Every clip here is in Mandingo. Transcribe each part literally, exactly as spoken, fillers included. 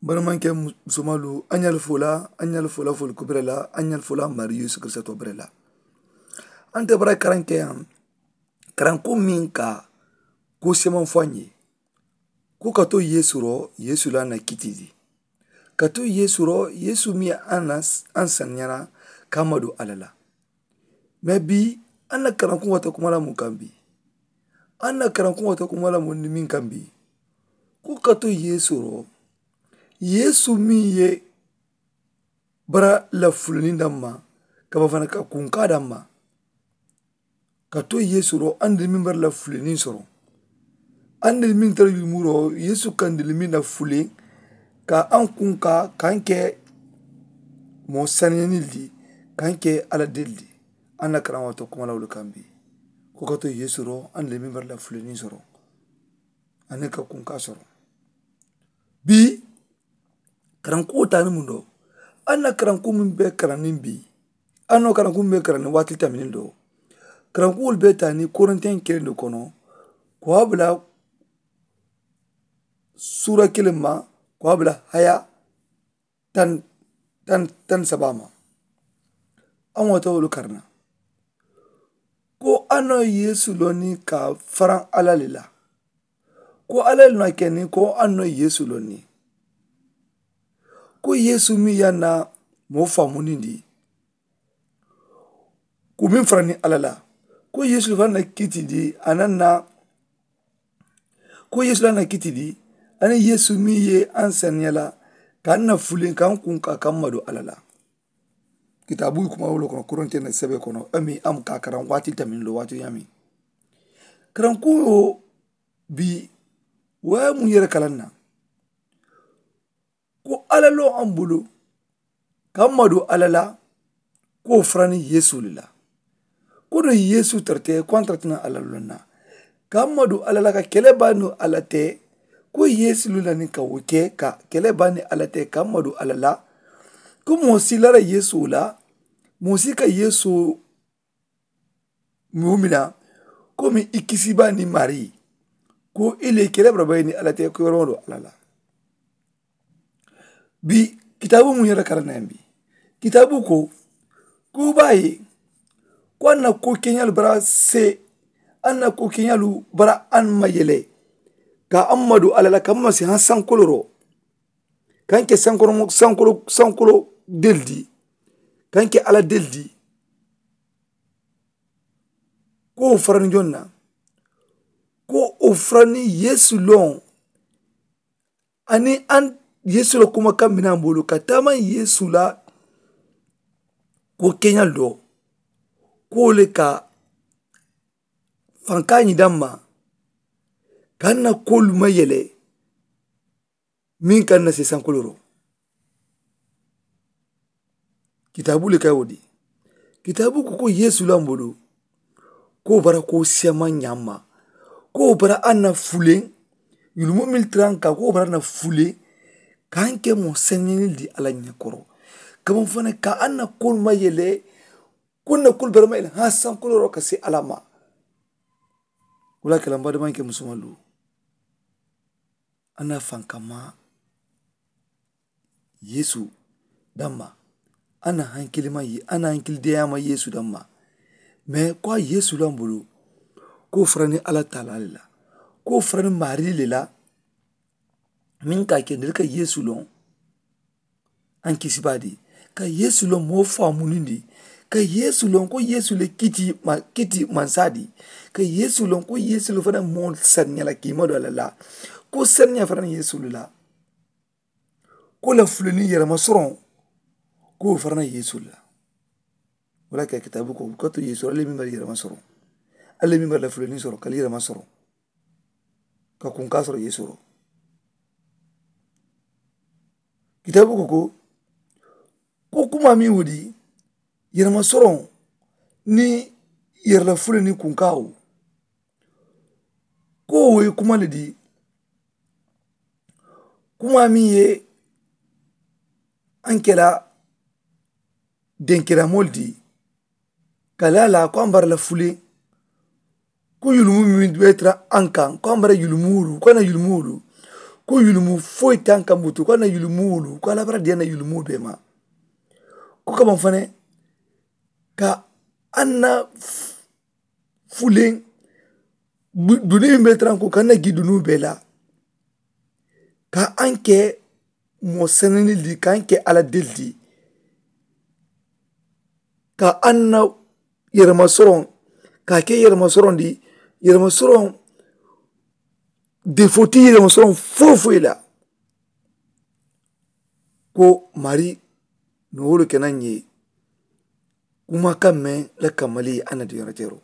Bari maŋ ke musomalu a ɲaali fo la a ɲaali fo la fo la kubere la a ɲaali fo la mari yesu kiristato bere la. Ante bara karanke yaŋ karanku miŋ ka ko semaŋ fo a ɲe. Ko ka to yesu ro yesu la na kitidi ka to yesu ro yesu miŋ ye an na an saniyana ka ma do ala la. Me bi an na karanku wata kuma la mu kambi an na karanku wata kuma la mu ni miŋ kambi. Ko ka to yesu ro yesu miŋ ye bara la fulani damma ka ba fana ka kunka damma. Ka to yesu ro an da miŋ bara la fulani soro an da miŋ tara yulumuro yesu kan da miŋ na fule ka an kunka kan ke mo sanani di kan ke ala del di. An na karan wato kuma la wulu kambi ko ka to yesu ro an da miŋ bara la fulani soro. Ani ka kunka soro bi karankuwo taani muŋ do. An na karanku muŋ be karanniŋ bi an na karanku muŋ be karanniŋ waati taminiŋ do. Karankuwolu be taani korintiyaŋ kiliŋ do kono ko a bula suura kiliŋ ma ko a bula haya taŋ taŋ saba ma. Aŋ wata wolu karana ko a no yesu loni ka faraŋ ala le la. Ko ala le na keni ko a no yesu loni ko yesu mi ya na mo famunindi ko min farani ala la ko yesu le fana na kitindi a na na ko yesu la na kitindi ani yesu mi ye an saniya la ka an na fulen ka an kun ka ka madu ala la. Kitabu kuma wolo kono koronte na sebe kono ami am ka karan wati tamin lo wati yami karan kuyo bi waya mu yere kalan na ko ala lo an bulu ka madu ala la ko farani yesu le la. Ko no yesu tarte ko an tartina ala lo na ka madu ala la ka kele banu ala te ko yesu le la ni ka wo ke ka kele bani ala te ka madu ala la. Ko mo si lara yesu la mo si ka yesu mumina ko mi i kisiba ni mari ko i le kele baraba ni ala te ko yoro do ala la. Bi kitabu mu yere karana bi kitabu ko ko bayi ko an na ko keɲalu bara se an na ko keɲalu bara an ma yele ka an madu ala la ka ma si han sankoloro kan ke sankolo sankolo sankolo deldi kan ke ala deldi. Ko wo farani jonna ko wo farani yesu lon ani an yesu la kuma kan mina bolo ka taama yesu la ko keɲal do ko wo le ka fanka ɲi damma kan na kolu ma yele. Min ka na se sankoloro kitabu le ka wo di kitabu ko ko yesu la mbolo ko bara ko sema ɲama ko bara an na fulen yulumo mil tranka ko bara na fulen kan ke mo senyini di ala ɲakoro kamo fana ka an na kol ma yele ko na kol bara ma yele ha sankoloro ka se ala ma. Wala kala mbadi man ke musumalu an na fankama yesu damma an na hankili ma ye an na hankili deya ma yesu damma. Mais ko a yesu la mbulu ko farani ala taala le la ko farani mari le la. Min ka ke ndel ka yesu lon an kisiba di ka yesu lon mo famunindi ka yesu lon ko yesu le kiti ma kiti mansa di ka yesu lon ko yesu le fana mo saniya la kima do la la ko saniya fana yesu la. Ko la fulani yɛrɛma sɔrɔ ko fana yesu la. Wala ka kitabu ko ka to yesu ale min bɛ yɛrɛma sɔrɔ ale min bɛ la fulani sɔrɔ ka yɛrɛma sɔrɔ ka kun ka sɔrɔ yesu rɔ. Kitabu ko ko ko kuma min wudi yɛrɛma sɔrɔ ni yɛrɛla fulani kun ka o ko o ye kuma le di kuma min ye an kɛla denkiramol di ka la la ko an bara la fule ko yulumu min be tara an kan ko an bara yulumulu ko na yulumulu Ko yulumu foyi te a n kambutu ko a na yulumu wulu ko a labara diya na yulumu bee ma. Ko kama fane ka a na fulen duniya bee taranko ka a na gi duniya bee la ka a n ke moo seneni di ka a n ke ala deli di ka a na yerema soroŋ ka a ke yerema soroŋ di yerema soroŋ defo ti yerema soroŋ foyi foyi la. Ko mari nowolu ke na ŋ ye kuma kaŋ meŋ la kamali a na diyonotero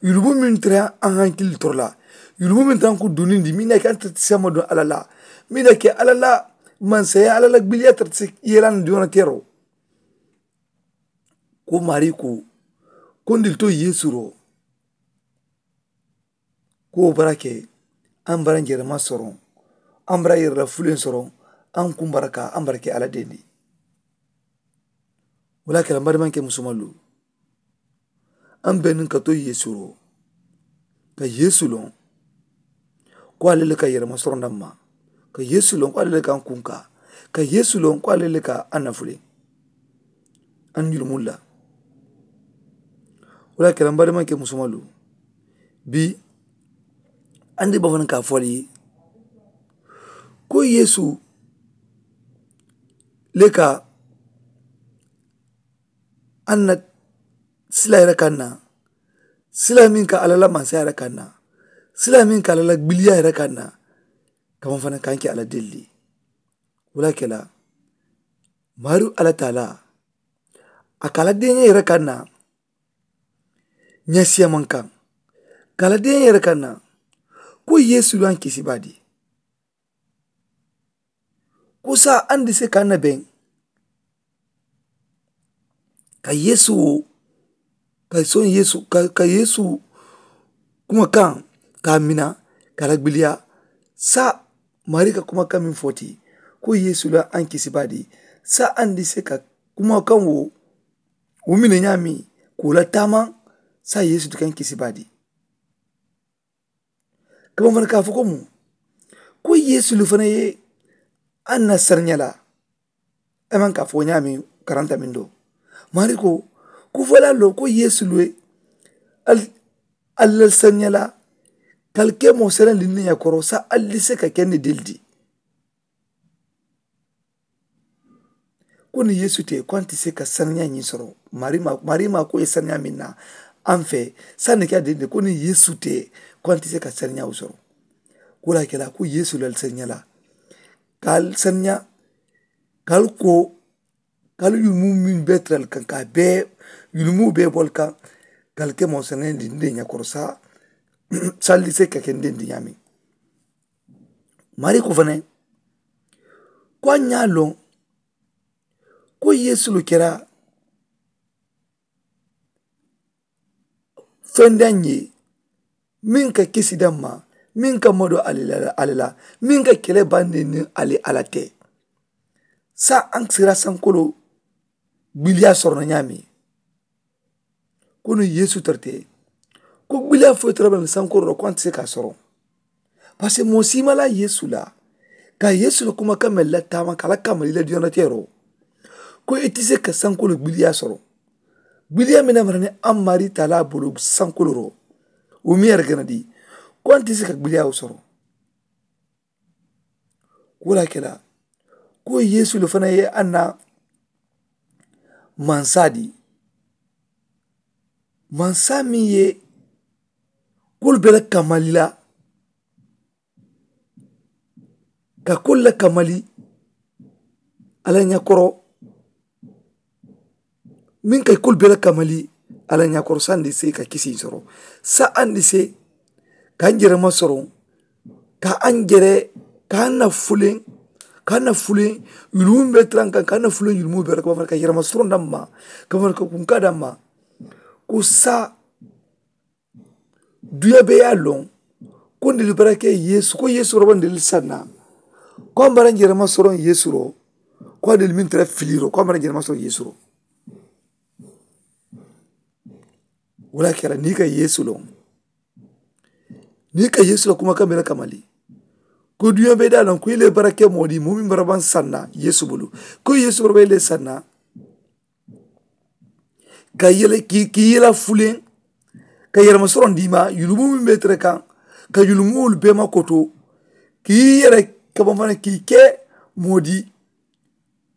yulumu meŋ tara a hankili toro la yulumu meŋ tara n ku dunindi meŋ na ke a tara ti sema duŋ ala la meŋ na ke ala la mansaya ala la gbiliya tara ti yela na diyonotero. Ko mari ko ko ndili to yesu ro ko wo bara ke a n bara jerema soroŋ a n bara yerela fuleŋ soroŋ a n kumbara ka a n bara ke ala dendi. Wala kela n barimanke musumalu a n be niŋ ka to yesu ro ka yesu loŋ ko ale le ka yerema soroŋ damma ka yesu loŋ ko ale le ka a n kunka ka yesu loŋ ko ale le ka a nafuleŋ. A n jurumulu la wala kela n barimanke musumalu bii a n di bafanaŋ ka a fo ali ye ko yesu le ka a na sila yere kaŋ na sila meŋ ka alla la mansaya yere kaŋ na sila meŋ ka alla la gbiliya yere kaŋ na. Kama fanaŋ ka a ke alla delli wala kela maaru alla taala a ka a la deeñaa yere kaŋ na ñasiyamankaŋ ka a la deeñaa yere kaŋ na ko yeesu la n kisi baadi. Ko saayiŋ a ni di se ka a na beŋ ka yeesu wo ka soŋ yeesu ka yeesu kumakaŋ ka a mina ka a la gbiliya saayiŋ maari ka kumakaŋ meŋ fo ti ko yeesu la a ni kisi baadi. Saayiŋ a ni di se ka kumakaŋ wo wo mina ñaameŋ ka wo la taamaŋ saayiŋ yeesu ti ka a ni kisi baadi. Ka baŋ fanaŋ ka a fo ko mu ko yeesu le fanaŋ ye a na sariña la. A maŋ ka a fo ñaameŋ karanta meŋ do maari ko ko fo la lo ko yeesu le ali la sariña la ka ali ke moo sariña dindiŋ ña koro saayiŋ ali di se ka ke ni dili di. Ko niŋ yeesu te ko a nte se ka saniyaa ñiŋ soro. Maari maa ko ye saniyaa meŋ na a n fee saayiŋ ne ke a dende ko niŋ yeesu te ko a nte se ka saniyaa wo soro. Ko wo le ye a ke la ko yeesu la ali saniyaa la ka ali saniyaa ka ali ko ka ali yulumu meŋ bee tara ali kaŋ ka a bee yulumu bee bo ali kaŋ ka ali ke moo saniyaa dindi ña koro saayiŋ saayiŋ ali di se ka ke n dendi ñaameŋ. Maari ko fanaŋ ko a ñaa loŋ ko yeesu le kera fendaŋ ye meŋ ka kisi damma meŋ ka mado ali la meŋ ka kele bandi niŋ ali ala te. Saayiŋ a sira sankolo gbiliya sorono ñaameŋ. Ko niŋ yeesu tara te ko gbiliya foyi tara bala ni sankoro la ko a nte se ka a soro. Parisiko moo siimala yeesu la ka yeesu la kumakaŋ meŋ la taama ka a la kamali la diyonateeroo ko i te se ka sanko la gbiliya soro. Gbiliya meŋ na mara ni a maari taalaa bolo sanko la roo wo meŋ ye a la gana di ko a nte se ka gbiliya wo soro. Ko wo le ye a ke la ko yeesu le fanaŋ ye a na mansaa di mansaa meŋ ye kolu bee la kamali la ka kolu la kamali a la ñakoro meŋ ka i kolu bee la kamali a la ñakoro sandi se ka kisi soro sa andi se ka n jere ma soro ka an jere ka an na fuleŋ ka an na fuleŋ yulumu be tara n kaŋ ka an na fuleŋ yulumu be ka bafana ka yerema soro damma ka bafana ka kunka damma. Ko sa duya be ye a loŋ ko ndeli bara ke yeesu ko yeesu roba ndeli sanna ko a mbara n jere ma soro yeesu ro ko a deli meŋ tara filiro ko a mbara n jere ma soro yeesu ro. Wo le ye a ke la niŋ i ka yeesu loŋ niŋ i ka yeesu la kumakaŋ be la kamali Ko duña be daa loŋ ko i le bara ke moo di moo meŋ bara baŋ sanna yeesu bulu. Ko yeesu bara baŋ i le sanna ka yele ki ki yela fuleŋ ka yelema soroŋ di ma yulumu meŋ be tere kaŋ ka yulumu wolu be ma koto ki yele ka baŋ fana ki ke moo di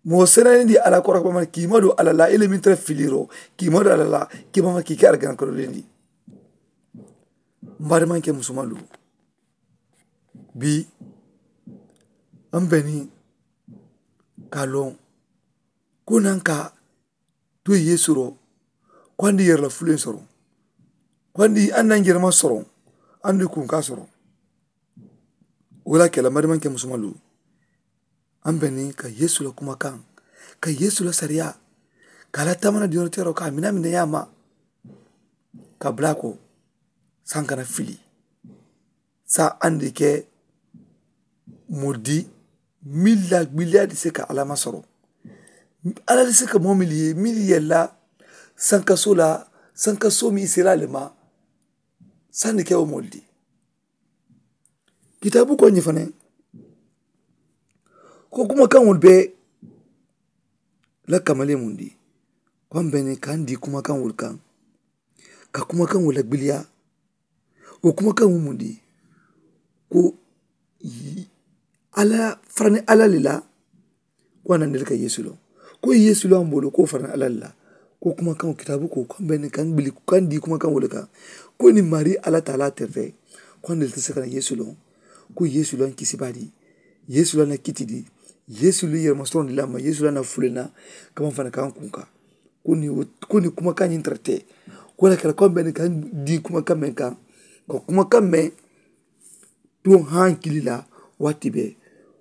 moo senani di ala koro ka baŋ fana ki ma do ala la i le meŋ tere filiro ki ma do ala la ki baŋ fana ki ke argana koro lendi. Mbaadi maŋ ke musumalu bii an beni ka loŋ ko naŋ ka to yeesu ro ko andi yere la fuleŋ soroŋ ko andi an naŋ jerema soroŋ andi kunka soroŋ. Wo la ke la mbaadi maŋ ke musumalu an beni ka yeesu la kumakaŋ ka yeesu la sariya ka la tamana diyono tero ka a mina mina yaama ka bula ko saŋ kana fili. Sa andi ke modi milla gbiliya di se ka alama soro ala di se ka momili ye mili yella sankaso la sankaso mi isela le ma. Sandi ke wo modi kitabu ko ñi fane ko kuma kan wol be la kamale mundi ko an bene kan di kuma kan wol kan ka kuma kan wol la gbiliya. Wo kuma kaŋo mu mundi ko alla farani alla le la ko a nandiri ka yeesu loŋ ko yeesu loŋ a mbooloo ko farani alla le la. Ko kuma kaŋo kitaabu ko ko a mbe niŋ kaŋ bili kaŋ dii kuma kaŋo le kaŋ ko niŋ maarii alla taalaa terite ko a nandiri te se ka na yeesu loŋ. Ko yeesu loŋ kisibaa dii yeesu loŋ na kiti dii yeesu loŋ yerema soroŋ dii la ma yeesu loŋ na fuleŋ na ka maŋ fana kaŋ kuŋ kaŋ. Ko niŋ kuma kaŋ ñiŋ tara te ko la kela ko a mbe niŋ kaŋ dii kuma kaŋ meŋ kaŋ ka kuma kaŋ meŋ tuŋ hankili la waati bee.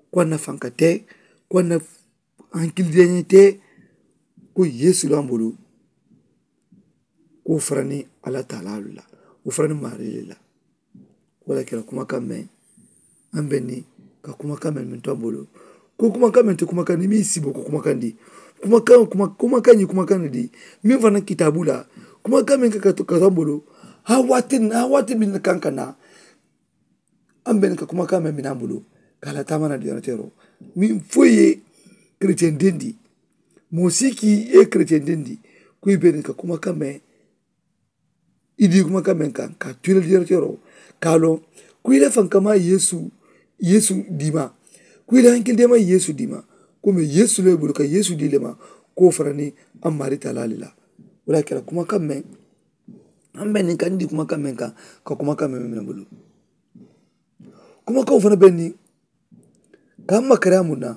Ko a na fanka te ko a na hankili deeñe te. Ko yeesu la mbolu ko farani alla taalaalu la wo farani maarii le la. Wo la kela kuma kaŋ meŋ an be niŋ ka kuma kaŋ meŋ meŋ to a bulu ko kuma kaŋ meŋ ti kuma kaŋ ni miŋ sibo ko kuma kaŋ di kuma kaŋ kuma kuma kaŋ ñiŋ kuma kaŋ di miŋ fanaŋ kitaabu la kuma kaŋ meŋ ka ka to a bulu. Haa waati haa waati meŋ na kaŋ ka naa an be niŋ ka kuma kaŋ meŋ meŋ a bulu ka a la taama na diyaana teeroo miŋ fo i ye keretiyeŋ dendi moo si ki i ye keretiyeŋ dendi ko i be niŋ ka kuma kaŋ meŋ i dii kuma kaŋ meŋ kaŋ ka a tu i la diyaana teeroo ka a loŋ ko i la faŋ ka maa yeesu yeesu dii ma ko i la hankili deema yeesu dii ma ko meŋ yeesu le bulu ka yeesu dii le ma ko farani a maarii taalaa le la. Wo le ye a ke la kuma kaŋ meŋ an be niŋ ka n dii kuma kaŋ meŋ kaŋ ka kuma kaŋ meŋ meŋ bulu kuma kaŋo fanaŋ be niŋ ka n makariyaa muŋ na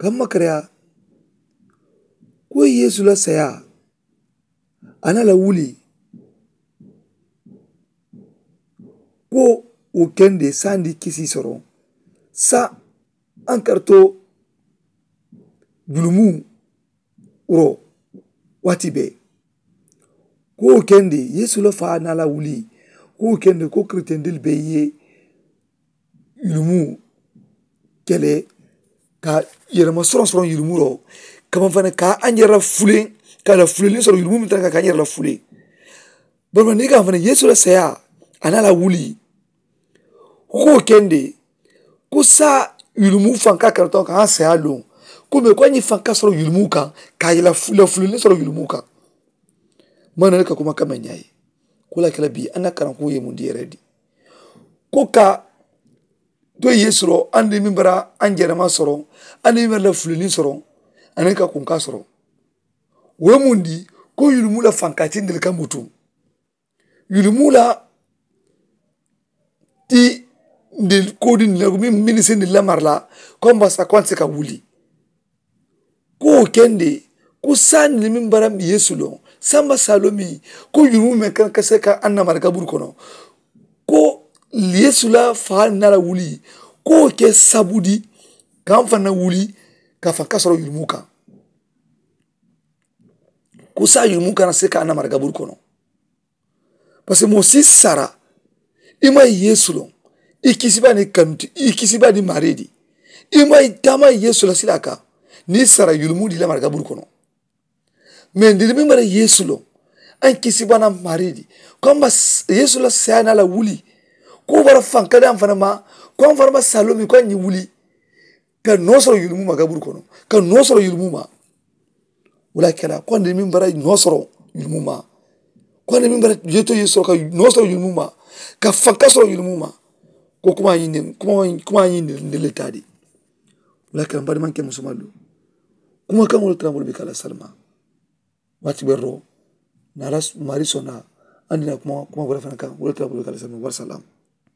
ka n makariyaa ko yeesu la sayaa a na la wuli ko wo kende sandi kisi soroŋ sa an karto julumu wuro waati bee. Ko wo kende yeesu la faa na la wuli ko wo kende ko keretendil be ye yulumu kele ka yerema soroŋ soroŋ yulumu ro kama fana ka an yere la fuleŋ ka la fuleŋ soroŋ yulumu mi tara ka an yere la fuleŋ. Bari ma ni ka fana yeesu la saya a na la wuli ko wo kende ko sa yulumu fanka karatoŋ ka an saya loŋ ko me ko an yi fanka soroŋ yulumu kaŋ ka yela fuleŋ soroŋ yulumu kaŋ. Mana ka kuma kame ñayi ko la kala bi an na karanku ye mundi yere di ko ka to yeesu ro andi min bara an jerema soro andi min bara la fulini soro andi ka kunka soro. Wo mundi ko yulumu la fanka tindil ka mutu yulumu la ti ndil kodi ndil min minisi ndil la marla ko mbasa ko an se ka wuli. Ko wo kende ko saani le meŋ bara yeesu loŋ samba saaloo miŋ ko yurumu meŋ kaŋ ka se ka annamara kaburu kono ko yeesu la faa na la wuli ko wo ke sabudi kaŋ fana wuli ka fa ka soro yurumu kaŋ. Ko saa yurumu kana se ka annamara kaburu kono. Paske moo si sara i maŋ yeesu loŋ i kisiba ni kanuti i kisiba ni maaree di i maŋ i taama yeesu la silaa kaŋ. Niŋ i sara yulumu di i la maraka bulu kono. Mee ndili miŋ bara yeesu loŋ a ye kisiba na maaree di ko a ma yeesu la sayaa naa la wuli ko wo bara faŋ ka daŋ fanaŋ ma. Ko a ma fanaŋ ma saaloo miŋ ko a ye ñiŋ wuli ka noo soro yulumu ma kaburu kono, ka noo soro yulumu ma. Wo le ye a kela ko a niŋ meŋ bara noo soro yulumu ma, ko a niŋ meŋ bara yeto ye soro ka noo soro yulumu ma, ka fanka soro yulumu ma. Ko kuma ñiŋ ne kuma ñiŋ ne le taa de. Wo le ye a kela m badimaŋ ke musomalu, kuma kaŋ wo le tara moolu be ka la salima. Waati be roo naŋ a la maari sonda andi na kuma kuma bore fanaŋ kaŋ wo le tara moolu be ka la salima. Warasalam.